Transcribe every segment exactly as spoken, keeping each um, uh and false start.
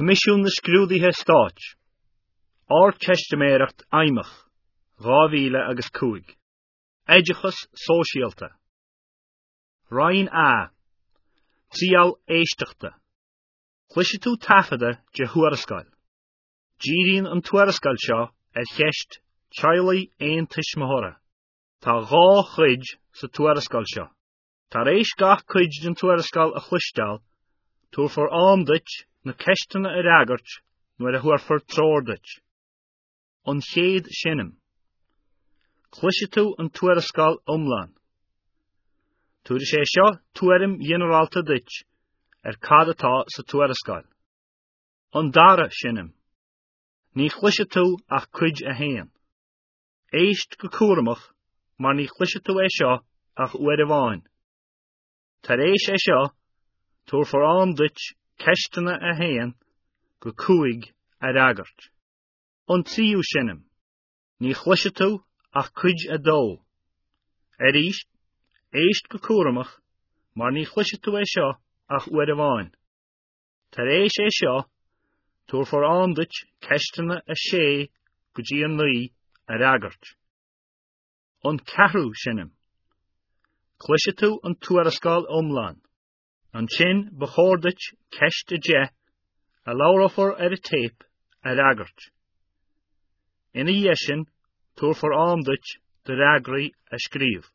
Coimisiún na Scrúduithe Stáit. Ardteistiméireacht Fheidhmeach, dhá mhíle agus cúig. Oideachas Sóisialta. Roinn A. Triail éisteachta. Cloisfidh tú taifeadadh de thuarascáil. Díríonn an tuarascáil seo ar cheist teaghlaigh aontuismitheora. Tá dhá chuid sa tuarascáil seo. Tar éis gach cuid den tuarascáil a chloisteáil, tabharfar am duit na ceisteanna a fhreagairt nuair a thabharfar treoir duit. An chéad seinm. Cloisfidh tú an tuarascáil iomlán. Tabharfaidh sé seo tuairim ghinearálta duit ar cad atá sa tuarascáil. An dara seinm. Ní chloisfidh tú ach cuid a haon. Éist go cúramach mar ní chloisfidh tú é seo ach uair amháin. Tar éis é seo, tabharfar am duit ceisteanna a haon go cúig a fhreagairt. An tríú seinm. Ní chloisfidh tú ach cuid a dó. Arís, éist go cúramach mar ní chloisfidh tú é seo ach uair amháin. Tar éis é seo, tabharfar am duit ceisteanna a sé go dtí a naoi a fhreagairt. An ceathrú seinm. Cloisfidh tú an tuarascáil iomlán. Ansin ba chóir duit ceist a deich a labhrófar ar an téip a fhreagairt. Ina dhiaidh sin, tabharfar am duit do fhreagraí a scríobh.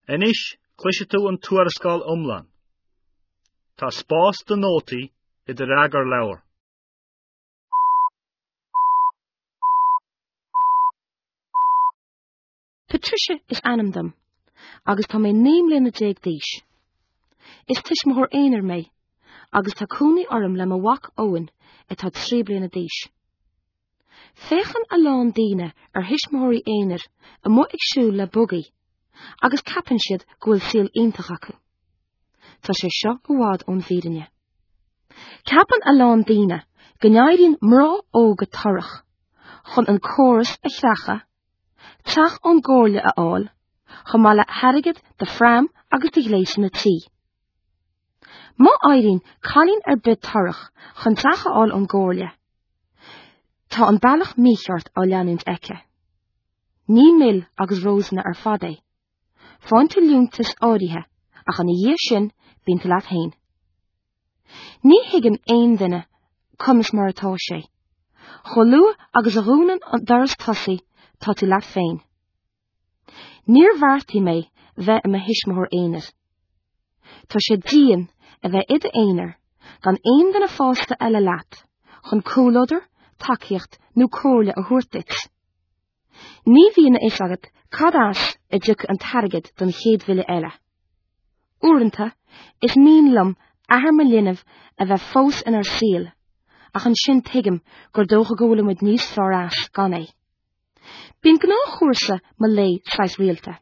Anois cloisfidh tú an tuarascáil iomlán. Tá spás do nótaí i do fhreagarleabhar. Patricia is ainm dom, agus tá mé naoi mbliana déag d'aois. Is tuismitheoir aonair mé, agus tá cónaí orm le mo mhac Eoin atá trí bliana d'aois. Féachann a lán daoine ar thuismitheoirí aonair amuigh ag siúl le bugaí, agus ceapann siad go bhfuil saol iontach acu. Tá sé seo i bhfad ón bhfírinne. Ceapann a lán daoine go n-éiríonn mná óga torrach chun an córas a chreachadh, teach ón gcomhairle a fháil, chomh maith le hairgead do phram agus do ghléasanna tí. Má éiríonn cailín ar bith torrach chun teach a fháil ón gcomhairle, tá an bealach mícheart á leanúint aici. Ní mil agus rósanna ar fad é. Faigheann tú liúntas áirithe ach ina dhiaidh sin bíonn tú leat féin. Ní thuigeann aon duine conas mar atá sé. Chomh luath agus a dhúnann an doras tosaigh tá tú leat féin. Níor bheartaigh mé bheith i mo thuismitheoir aonair. Tá sé dian a bheith i d'aonar gan aon duine fásta eile leat chun comhluadar, tacaíocht nó comhairle a thabhairt duit. Ní bhíonn a fhios agat cad as a dtiocfaidh an t-airgead don chéad bhille eile. Uaireanta, is mian liom athair mo linbh a bheith fós inár saol, ach ansin tuigim gur dócha go bhfuilimid níos fearr as gan é. Bíonn gnáthchúrsa mo lae saghas rialta.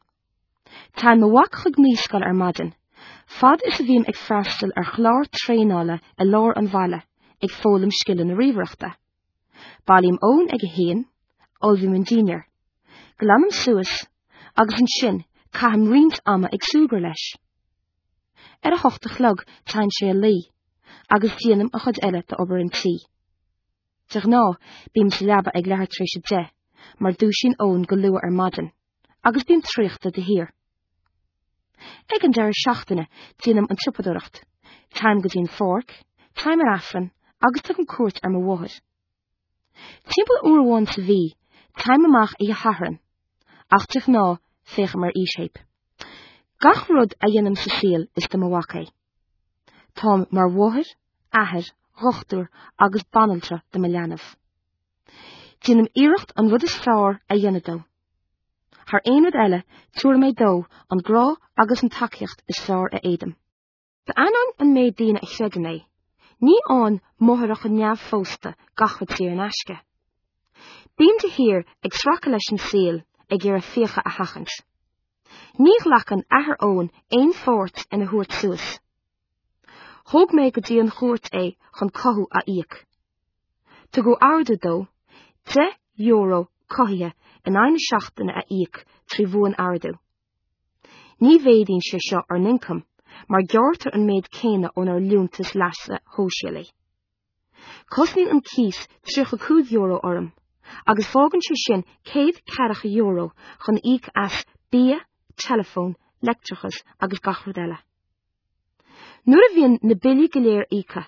Téann mo mhac chuig naíscoil ar maidin, fad is a bhím ag freastal ar chlár traenála i lár an bhaile ag foghlaim scileanna ríomhaireachta. Bailím Eoin ag a haon, ullmhaím an dinnéar, glanaim suas agus ansin caithim roinnt ama ag súgradh leis. Ar a hocht a chlog téann sé a luí, agus déanaim an chuid eile d'obair an tí. De ghnáth bím sa leaba ag leathuair tar éis a deich, mar dúisíonn Eoin go luath ar maidin, agus bím traochta de shíor. Ag an deireadh seachtaine déanaim an tsiopadóireacht, téim go dtí an pháirc, téim ar Aifreann agus tugaim cuairt ar mo mháthair. Timpeall uair amháin sa mhí, téim amach oíche Shathairn, ach de ghnáth féachaim ar fhísthéip. Gach rud a dhéanaim sa saol is do mo mhac é. Táim mar mháthair, athair, dhochtúir agus banaltra do mo leanbh. Déanaim iarracht an rud is fearr a dhéanamh dó. Thar aon rud eile, tabharfaidh mé dó an grá agus an tacaíocht is fearr a fhéadaim. D'ainneoin an méid daoine a chreideann é, ní fhaigheann máithreacha neamhphósta gach rud saor in aisce. Bím de shíor ag sracadh leis an saol ag iarraidh fiacha a sheachaint. Ní ghlacann athair Eoin aon pháirt ina thabhairt suas. Thóg mé go dtí an chúirt é chun cothú a íoc. Tugadh ordú dó deich euro cothaithe in aghaidh na seachtaine a íoc trí bhuan-ordú. Ní mhéadaíonn sé seo ár n-ioncam, mar gearrtar an méid céanna ónár liúntas leasa shóisialaigh. Cosnaíonn an cíos tríocha cúig euro orm, agus fágann sé sin céad ceathracha euro chun íoc as bia, teileafón, leictreachas agus gach rud eile. Nuair a bhíonn na billí go léir íoctha,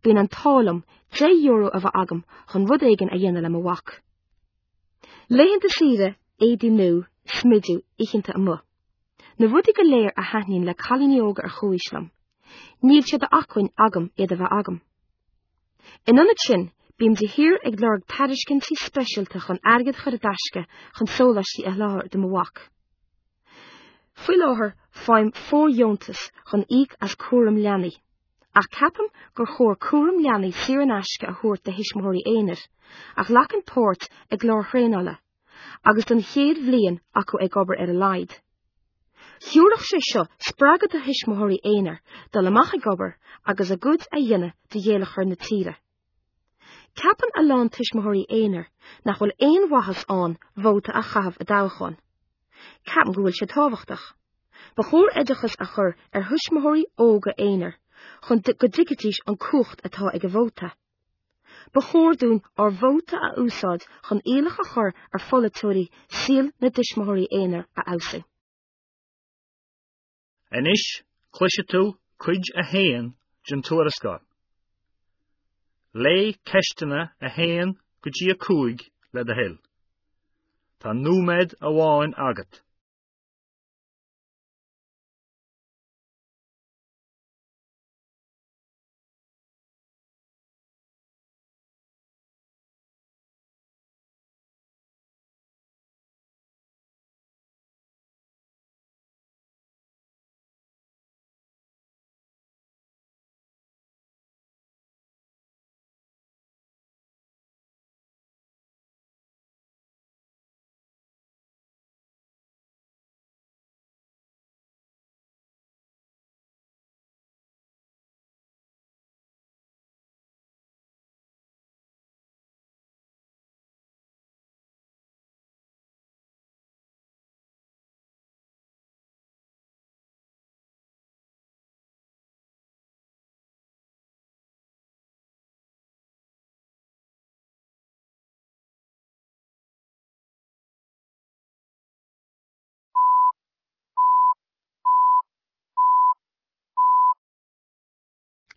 bíonn an t-ádh liom deich euro a bheith agam chun rud éigin a dhéanamh le mo mhac. Laethanta saoire, éadaí nua, smideadh, oícheanta amuigh. Na rudaí go léir a thaitníonn le cailíní óga ar chomhaois liom. Níl sé d'acmhainn agam iad a bheith agam. In ionad sin, bím de shíor ag lorg tairiscintí speisialta chun airgead a chur i dtaisce chun sóláistí a sholáthar do mo mhac. Faoi láthair faighim fóirdheontas chun íoc as cúram leanaí, ach ceapaim gur chóir cúram leanaí saor in aisce a thabhairt do thuismitheoirí aonair, a ghlacann páirt i gcláir thraenála, agus don chéad bhliain acu ag obair ar a laghad. Thabharfadh sé seo spreagadh do thuismitheoirí aonair dul amach ag obair agus a gcuid a dhéanamh do gheilleagar na tíre. Ceapann a lán tuismitheoirí aonair nach bhfuil aon mhaitheas ann vóta a chaitheamh i dtoghchán. Ceapaim go bhfuil sé tábhachtach. Ba chóir oideachas a chur ar thuismitheoirí óga aonair chun go dtuigfidís an cumhacht atá ag a vóta. Ba chóir dúinn ár vóta a úsáid chun iallach a chur ar pholaiteoirí saol na dtuismitheoirí aonair a fheabhsú. Anois cloisfidh tú cuid a haon den tuarascáil. Léigh ceisteanna a haon go dtí a cúig le do thoil. Tá nóiméad amháin agat.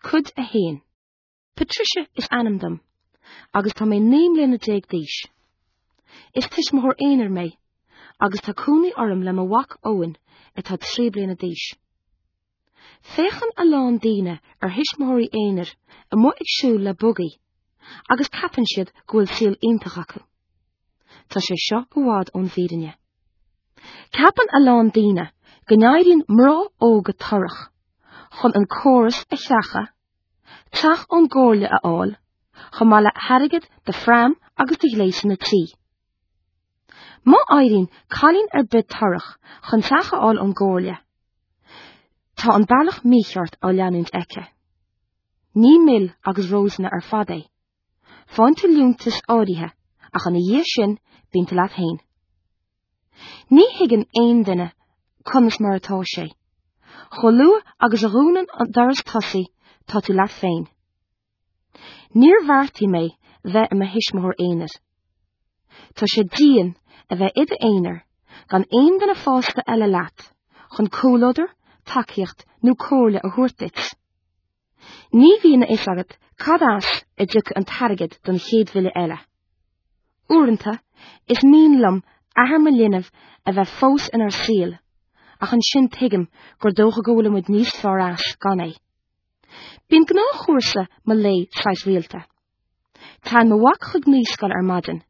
Cuid a haon. Patricia is ainm dom, agus tá mé naoi mbliana déag d'aois. Is tuismitheoir aonair mé, agus tá cónaí orm le mo mhac Eoin atá trí bliana d'aois. Féachann a lán daoine ar thuismitheoirí aonair amuigh ag siúl le bugaí, agus ceapann siad go bhfuil saol iontach acu. Tá sé seo i bhfad ón bhfírinne. Ceapann a lán daoine go n-éiríonn mná óga torrach chun an córas a sheachaint, teach ón gcomhairle a fháil, chomh maith le hairgead do phram agus do ghléasanna tí. Má éiríonn cailín ar bith torrach chun teach a fháil ón gcomhairle, tá an bealach mícheart á leanúint aici. Ní mil agus rósanna ar fad é. Faigheann tú liúntas áirithe ach ina dhiaidh sin bíonn tú leat féin. Ní thuigeann aon duine conas mar atá sé. Chomh luath agus a dhúnann an doras tosaigh tá tú leat féin. Níor bheartaigh mé bheith i mo thuismitheoir aonair. Tá sé dian a bheith i d'aonar gan aon duine fásta eile leat, chun comhluadar, tacaíocht nó comhairle a thabhairt duit. Ní bhíonn a fhios agat cad as a dtiocfaidh an t-airgead don chéad bhille eile. Uaireanta, is mian liom athair mo linbh a bheith fós inár saol, ach ansin tuigim gur dócha go bhfuil muid níos fearr as gan é. Bíonn gnáthchúrsa mo lae saghas rialta. Téann mo mhac chuig naíscoil ar maidin,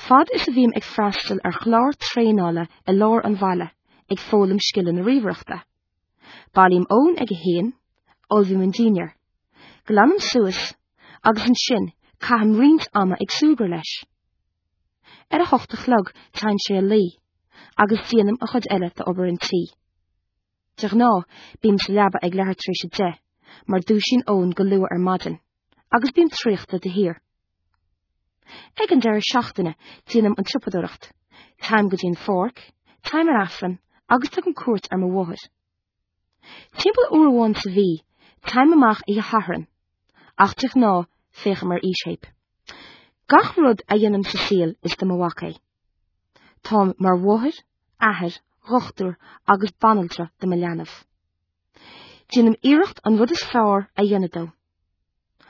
fad is a bhím ag freastal ar chlár traenála i lár an bhaile ag foghlaim scileanna ríomhaireachta. Bailím Eoin ag a haon, ullmhaím an dinnéar, Glanaim suas agus ansin caithim roinnt ama ag súgradh leis. Ar a hocht a chlog téann sé a luí, agus déanaim an chuid eile d'obair an tí. De ghnáth bím sa leaba ag leathuair tar éis a deich, mar dúisíonn Eoin go luath ar maidin, agus bím traochta de shíor. Ag an deireadh seachtaine déanaim an tsiopadóireacht, téim go dtí an pháirc, téim ar Aifreann agus tugaim cuairt ar mo mháthair. Timpeall uair amháin sa mhí, téim amach oíche Shathairn, ach de ghnáth Féachaim ar fhísthéip. Gach rud a dhéanaim sa saol is do mo mhac é. Táim mar mháthair, athair, dhochtúir agus banaltra do mo leanbh. Déanaim iarracht an rud is fearr a dhéanamh dó.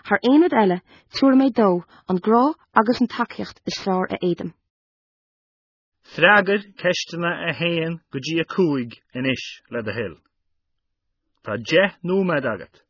Thar aon rud eile tabharfaidh mé dó an grá agus an tacaíocht is fearr a fhéadaim. Freagair ceisteanna a haon go dtí a cúig anois le do thoil. Tá deich nóiméad agat.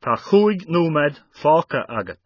Tá cúig nóiméad fágtha agat.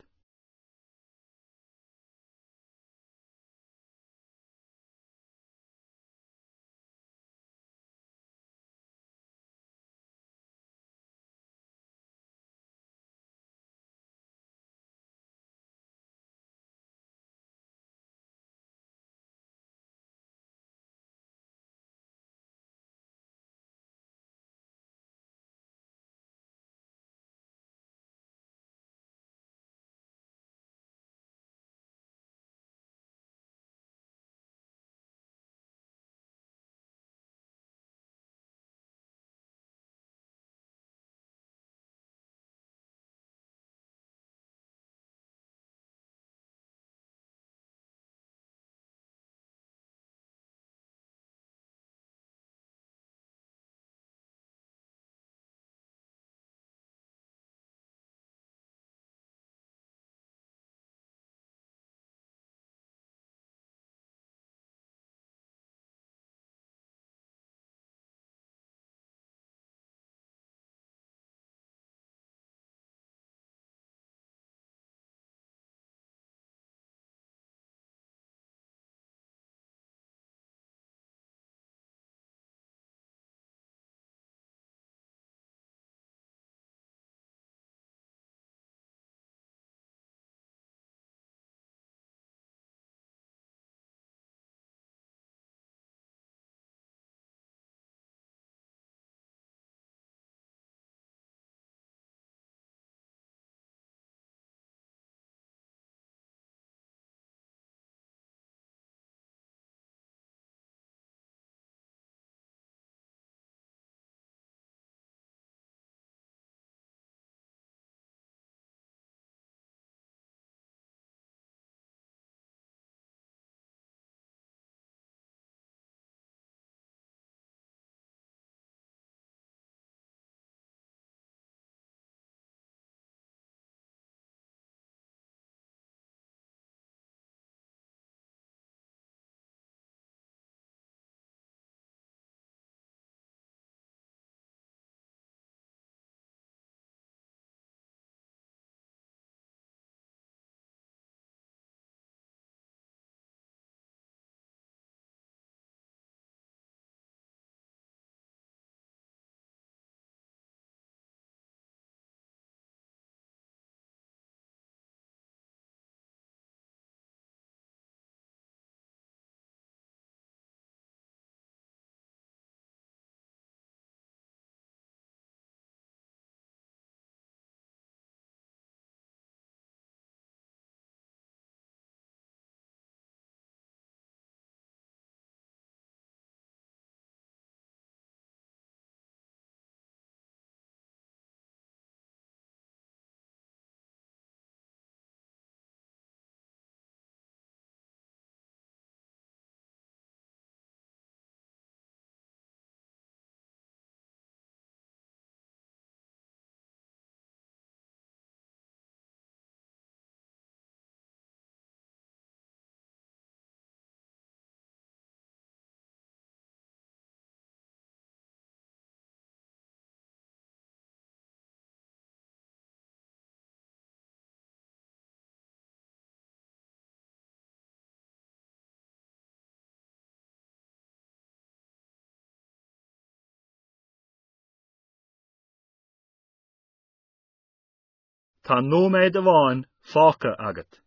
Tá nóiméad amháin fágtha agat.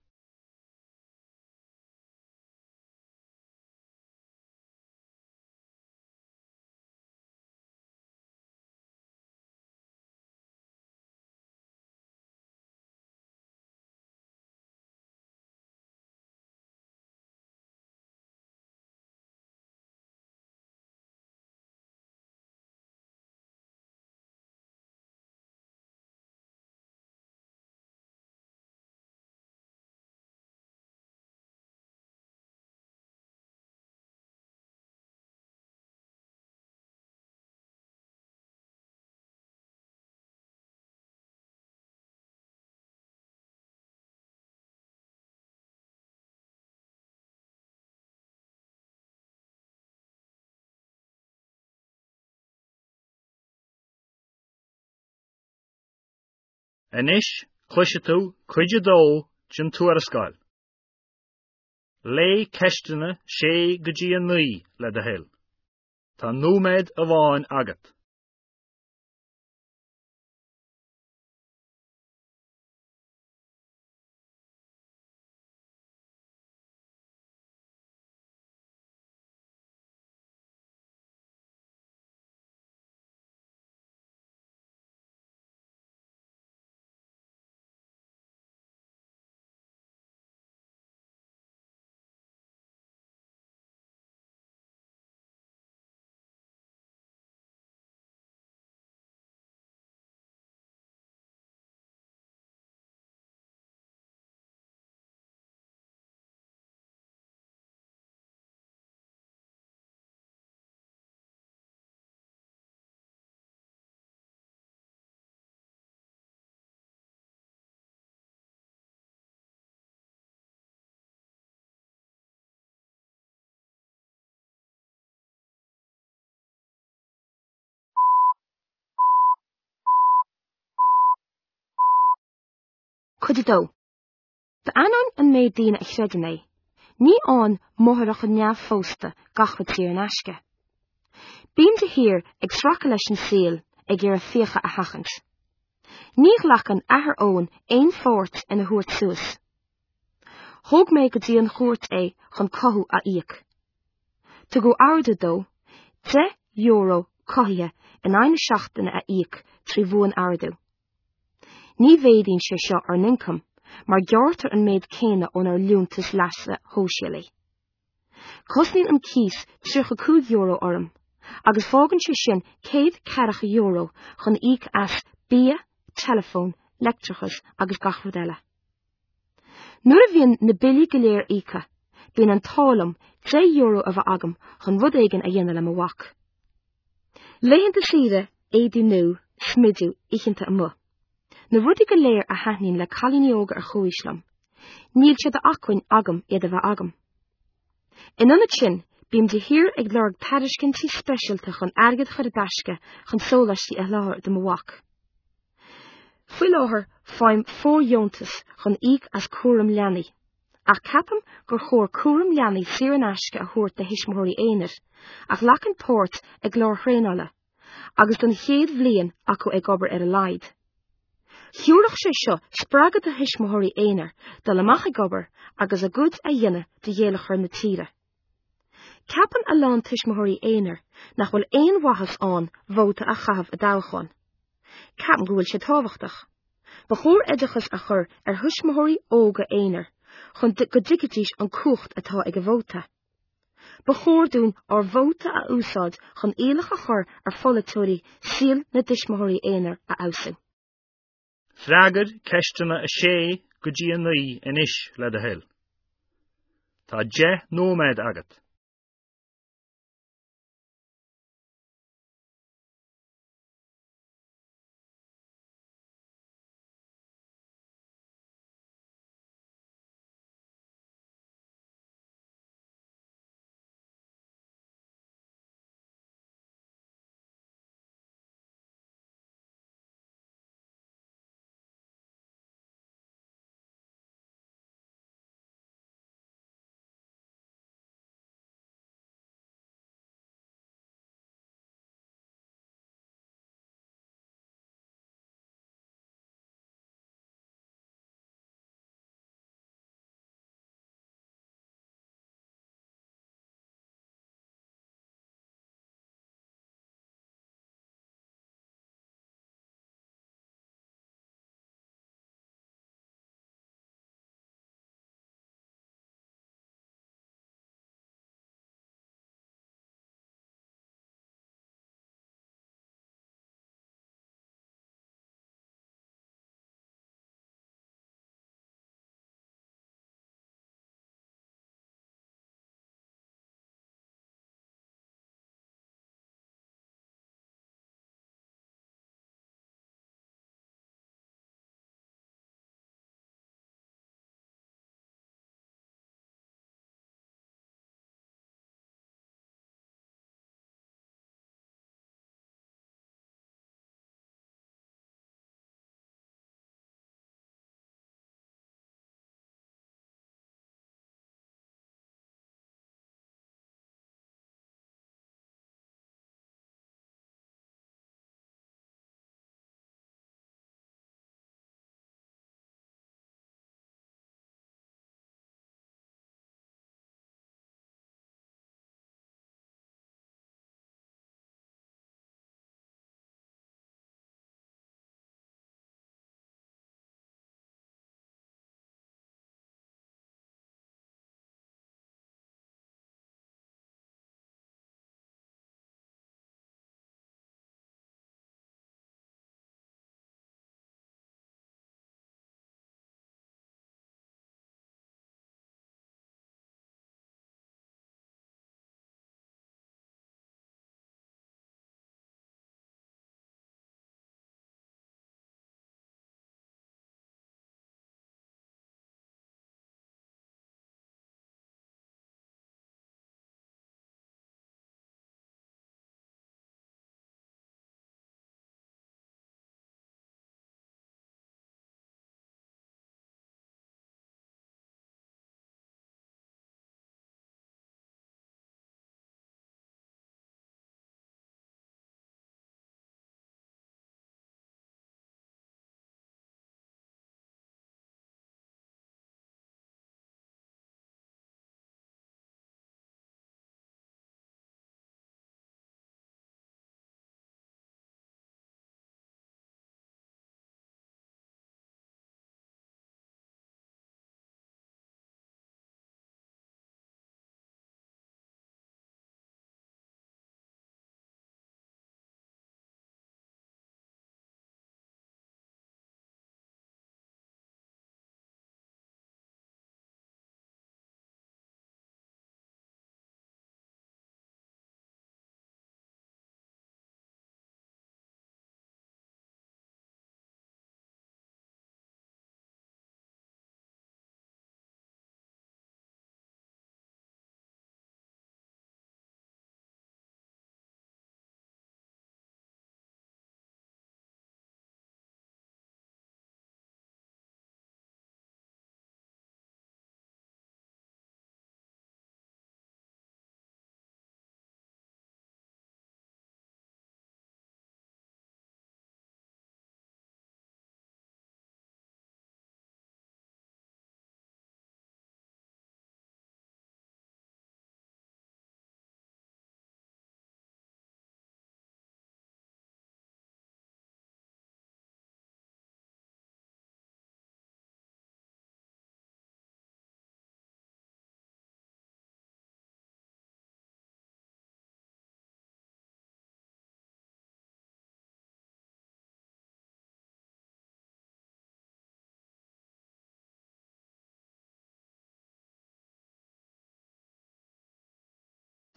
Anois cloisfidh tú cuid a dó den tuarascáil. Léigh ceisteanna sé go dtí a naoi le do thoil. Tá nóiméad amháin agat. Cuid a dó. D'ainneoin an méid daoine a chreideann é, ní fhaigheann máithreacha neamhphósta gach rud saor in aisce. Bím de shíor ag sracadh leis an saol ag iarraidh fiacha a sheachaint. Ní ghlacann athair Eoin aon pháirt ina thabhairt suas. Thóg mé go dtí an chúirt é chun cothú a íoc. Tugadh ordú dó deich euro cothaithe in aghaidh na seachtaine a íoc trí bhuan-ordú. Ní mhéadaíonn sé seo ár n-ioncam, mar gearrtar an méid céanna ónár liúntas leasa shóisialaigh. Cosnaíonn an cíos tríocha cúig euro orm, agus fágann sé sin céad ceathracha euro chun íoc as bia, teileafón, leictreachas agus gach rud eile. Nuair a bhíonn na billí go léir íoctha, bíonn an t-ádh liom deich euro a bheith agam chun rud éigin a dhéanamh le mo mhac. Laethanta saoire, éadaí nua, smideadh, oícheanta amuigh. Na rudaí go léir a thaitníonn le cailíní óga ar chomhaois liom, níl sé d'acmhainn agam iad a bheith agam. In ionad sin, bím de shíor ag lorg tairiscintí speisialta chun airgead a chur i dtaisce chun sóláistí a sholáthar do mo mhac. Faoi láthair faighim fóirdheontas chun íoc as cúram leanaí, ach ceapaim gur chóir cúram leanaí saor in aisce a thabhairt do thuismitheoirí aonair, a ghlacann páirt i gcláir thraenála, agus don chéad bhliain acu ag obair ar a laghad. Thabharfadh sé seo spreagadh do thuismitheoirí aonair dul amach ag obair agus a gcuid a dhéanamh de gheilleagar na tíre. Ceapann a lán tuismitheoirí aonair nach bhfuil aon mhaitheas ann vóta a chaitheamh i dtoghchán. Ceapaim go bhfuil sé tábhachtach. Ba chóir oideachas a chur ar thuismitheoirí óga aonair chun go dtuigfidís an cumhacht atá ag a vóta. Ba chóir dúinn ár vóta a úsáid chun iallach a chur ar pholaiteoirí saol na dtuismitheoirí aonair a fheabhsú. Freagair ceisteanna a sé go dtí a naoi anois le do thoil. Tá deich nóiméad agat.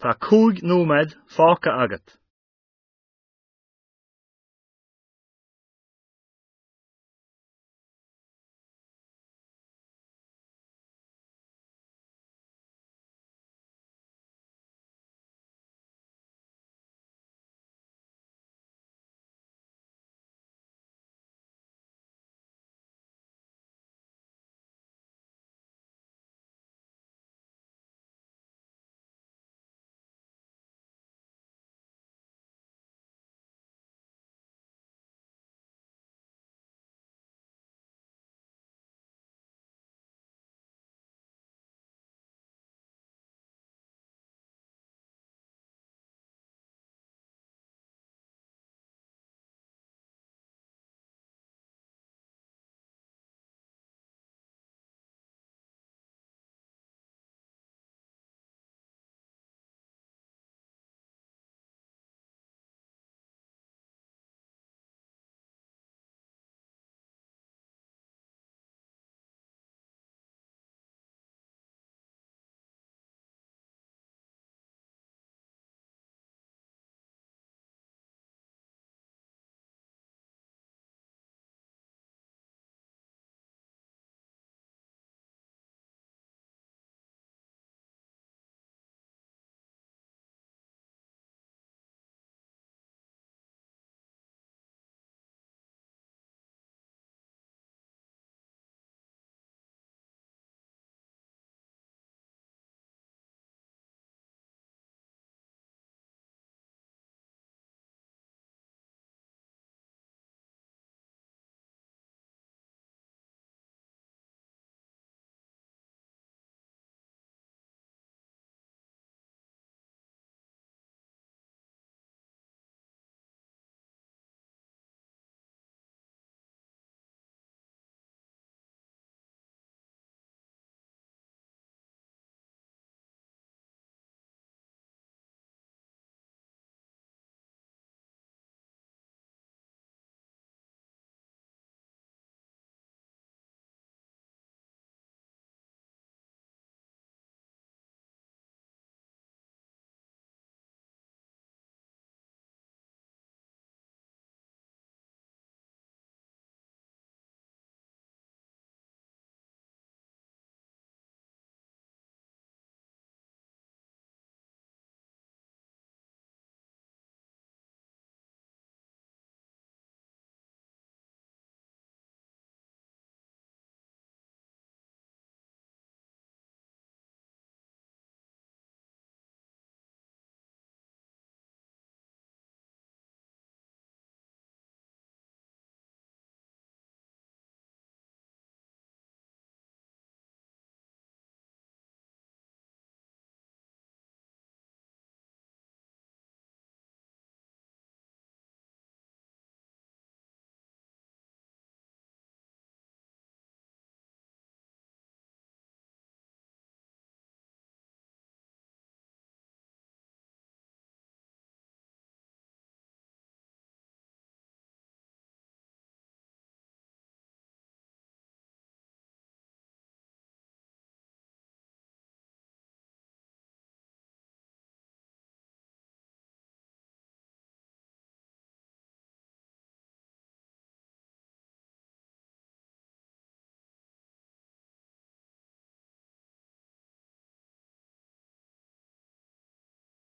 Tá cúig nóiméad fágtha agat.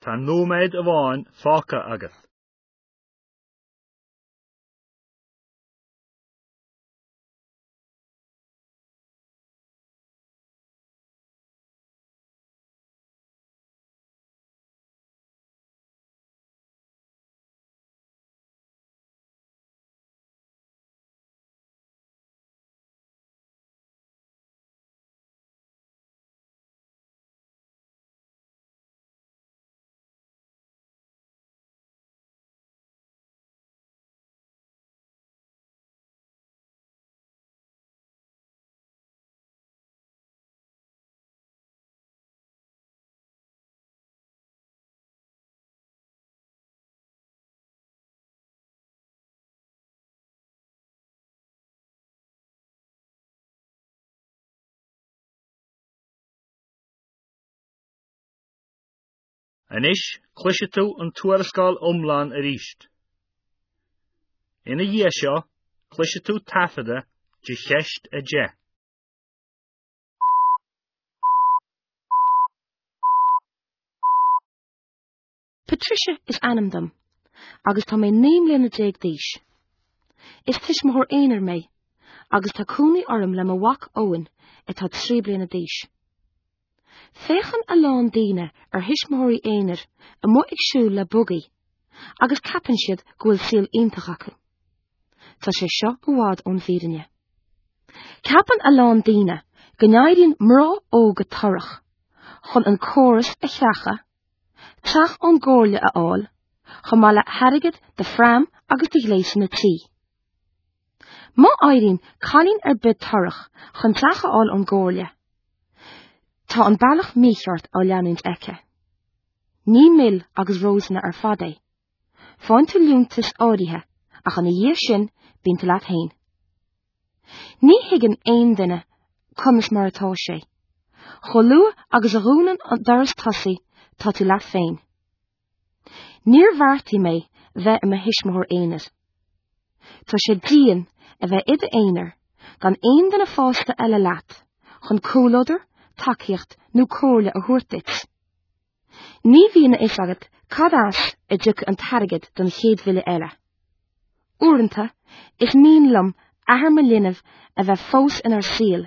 Tá nóiméad amháin fágtha agat. Anois cloisfidh tú an tuarascáil iomlán arís. Ina dhiaidh seo, cloisfidh tú taifeadadh de cheist a deich. Patricia is ainm dom, agus tá mé naoi mbliana déag d'aois. Is tuismitheoir aonair mé, agus tá cónaí orm le mo mhac Eoin atá trí bliana d'aois. Féachann a lán daoine ar thuismitheoirí aonair amuigh ag siúl le bugaí, agus ceapann siad go bhfuil saol iontach acu. Tá sé seo i bhfad ón bhfírinne. Ceapann a lán daoine go n-éiríonn mná óga torrach chun an córas a chreachadh, teach ón gcomhairle a fháil, chomh maith le hairgead do phram agus do ghléasanna tí. Má éiríonn cailín ar bith torrach chun teach a fháil ón gcomhairle, tá an bealach mícheart á leanúint aici. Ní mil agus rósanna ar fad é. Faigheann tú liúntas áirithe ach ina dhiaidh sin bíonn tú leat féin. Ní thuigeann aon duine conas mar atá sé. Chomh luath agus a dhúnann an doras tosaigh tá tú leat féin. Níor bheartaigh mé bheith i mo thuismitheoir aonair. Tá sé dian a bheith i d'aonar gan aon duine fásta eile leat, chun comhluadar, tacaíocht nó comhairle a thabhairt duit. Ní bhíonn a fhios agat cad as a dtiocfaidh an t-airgead don chéad bhille eile. Uaireanta, is mian liom athair mo linbh a bheith fós inár saol,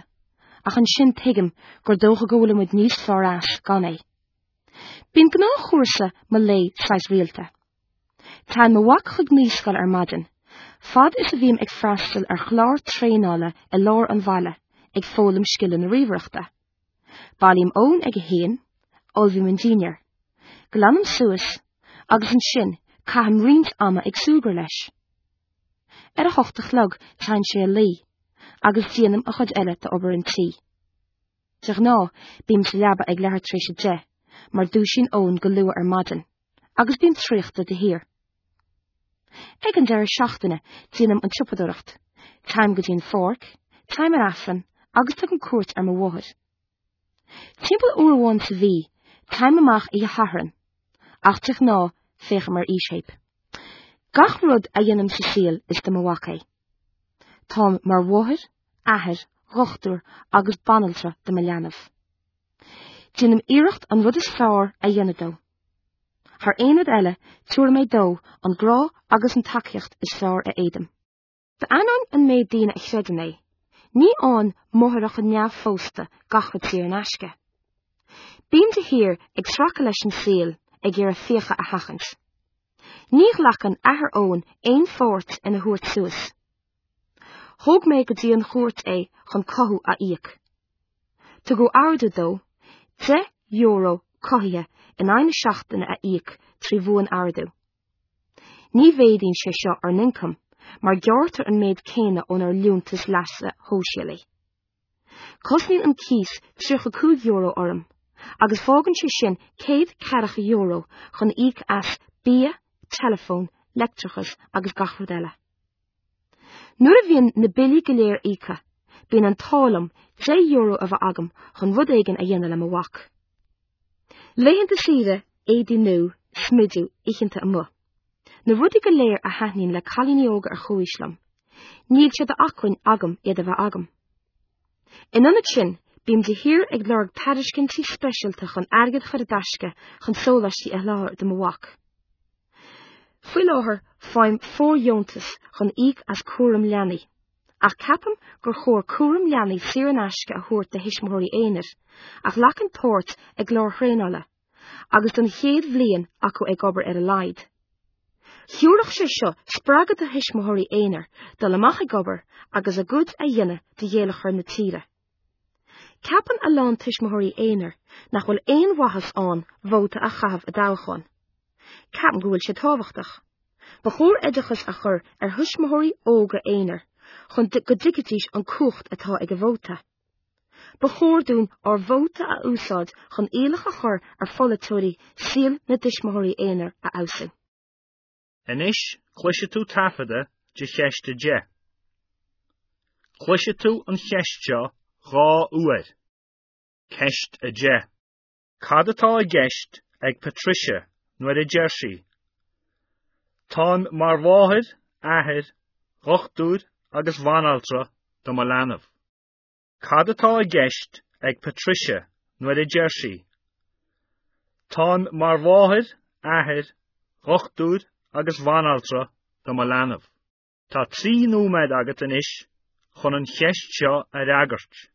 ach ansin tuigim gur dócha go bhfuilimid níos fearr as gan é. Bíonn gnáthchúrsa mo lae saghas rialta. Téann mo mhac chuig naíscoil ar maidin, fad is a bhím ag freastal ar chlár traenála i lár an bhaile ag foghlaim scileanna ríomhaireachta. Bailím Eoin ag a haon, ullmhaím an dinnéar, Glanaim suas agus ansin caithim roinnt ama ag súgradh leis. Ar a hocht a chlog téann sé a luí, agus déanaim an chuid eile d'obair an tí. De ghnáth bím sa leaba ag leathuair tar éis a deich, mar dúisíonn Eoin go luath ar maidin, agus bím traochta de shíor. Ag an deireadh seachtaine déanaim an tsiopadóireacht, téim go dtí an pháirc, téim ar Aifreann agus tugaim cuairt ar mo mháthair. Timpeall uair amháin sa mhí, téim amach oíche Shathairn, ach de ghnáth féachaim ar fhísthéip. Gach rud a dhéanaim sa saol is do mo mhac é. Táim mar mháthair, athair, dhochtúir agus banaltra do mo leanbh. Déanaim iarracht an rud is fearr a dhéanamh dó. Thar aon rud eile, tabharfaidh mé dó an grá agus an tacaíocht is fearr a fhéadaim. D'ainneoin an méid daoine a chreideann é, ní fhaigheann máithreacha neamhphósta gach rud saor in aisce. Bím de shíor ag sracadh leis an saol ag iarraidh fiacha a sheachaint. Ní ghlacann athair Eoin aon pháirt ina thabhairt suas. Thóg mé go dtí an chúirt é chun cothú a íoc. Tugadh ordú dó deich euro cothaithe in aghaidh na seachtaine a íoc trí bhuan-ordú. Ní mhéadaíonn sé seo ár n-ioncam, mar gearrtar an méid céanna ónár liúntas leasa shóisialaigh. Cosnaíonn an cíos tríocha cúig euro orm, agus fágann sé sin céad ceathracha euro chun íoc as bia, teileafón, leictreachas agus gach rud eile. Nuair a bhíonn na billí go léir íoctha, bíonn an t-ádh liom deich euro a bheith agam chun rud éigin a dhéanamh le mo mhac. Laethanta saoire, éadaí nua, smideadh, oícheanta amuigh. Na rudaí go léir a thaitníonn le cailíní óga ar chomhaois liom. Níl sé d'acmhainn agam iad a bheith agam. In ionad sin, bím de shíor ag lorg tairiscintí speisialta chun airgead a chur i dtaisce chun sóláistí a sholáthar do mo mhac. Faoi láthair faighim fóirdheontas chun íoc as cúram leanaí, ach ceapaim gur chóir cúram leanaí saor in aisce a thabhairt do thuismitheoirí aonair, a ghlacann páirt i gcláir thraenála, agus don chéad bhliain acu ag obair ar a laghad. Thabharfadh sé seo spreagadh do thuismitheoirí aonair dul amach ag obair agus a gcuid a dhéanamh do gheilleagar na tíre. Ceapann a lán tuismitheoirí aonair nach bhfuil aon mhaitheas ann vóta a chaitheamh i dtoghchán. Ceapaim go bhfuil sé tábhachtach. Ba chóir oideachas a chur ar thuismitheoirí óga aonair chun go dtuigfidís an cumhacht atá ag a vóta. Ba chóir dúinn ár vóta a úsáid chun iallach a chur ar pholaiteoirí saol na dtuismitheoirí aonair a fheabhsú. Anois cloisfidh tú taifeadadh de cheist a deich. Cloisfidh tú an cheist seo dhá uair. Ceist a deich. Cad atá i gceist ag Patricia nuair a deir sí? Táim mar mháthair, athair, dhochtúir agus bhanaltra do mo leanbh. Cad atá i gceist ag Patricia nuair a deir sí? Táim mar mháthair, athair, dhochtúir agus bhanaltra do mo leanbh. Tá trí nóiméad agat anois chun an cheist seo a fhreagairt.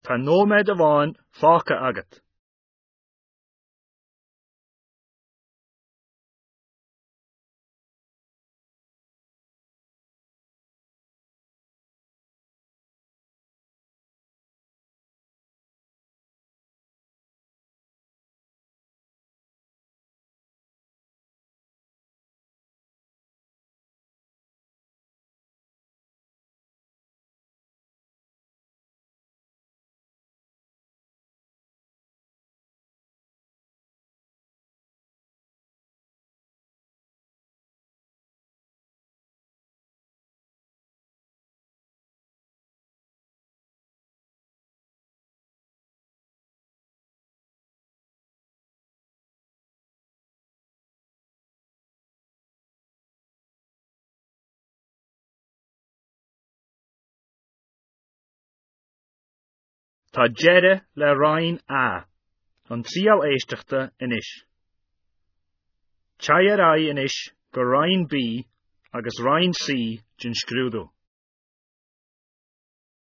Tá nóiméad amháin fágtha agat. Tá deireadh le Roinn A, an triail éisteachta anois. Téigh ar aghaidh anois go Roinn B agus Roinn C den scrúdú.